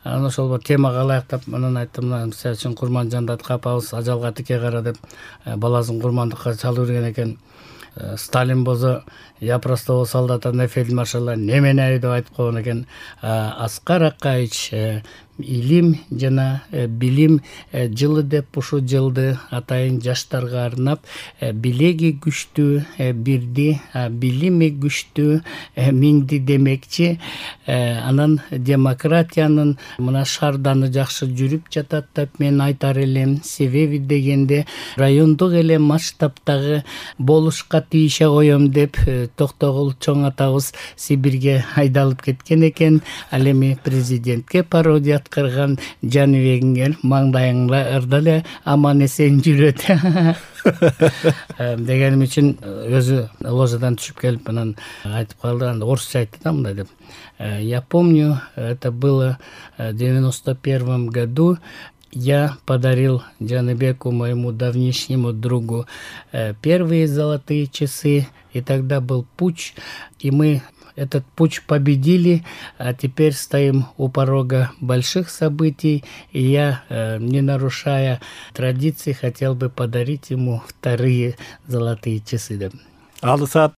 Анан ошол бир темага ылайыктап анан айттым, мына мисалы үчүн Курманжандат апабыз ажалга тике кара деп баласын курмандыкка чалып берген экен. Сталин болсо я простого солдата на фельдмаршала не меняю деп айтып койгон экен. Аскар Акаевич илим жана билим жылы деп ушул жылды атайын жаштарга арнап билеги күчтүү бирди, билими күчтүү миңди демекчи. Анан демократиянын мына шарданы жакшы жүрүп жатат деп мен айтар элем. Себеби дегенде райондук эле масштабтагы болушка тийише коем деп Токтогул чоң атабыз Сибирге айдалып кеткен экен. Ал эми президентке пародия кырган Жаныбегиңер маңдайыңда ырда эле аман эсен жүрөт дегеним үчүн өзү ложадан түшүп келип анан айтып калды. Анда орусча айтты да мындай деп. Я помню, это было в 91 году. Я подарил Жаныбеку, моему давнишнему другу, первые золотые часы, и тогда был путч, и мы этот путч победили, а теперь стоим у порога больших событий, и я, не нарушая традиции, хотел бы подарить ему вторые золотые часы. Алысат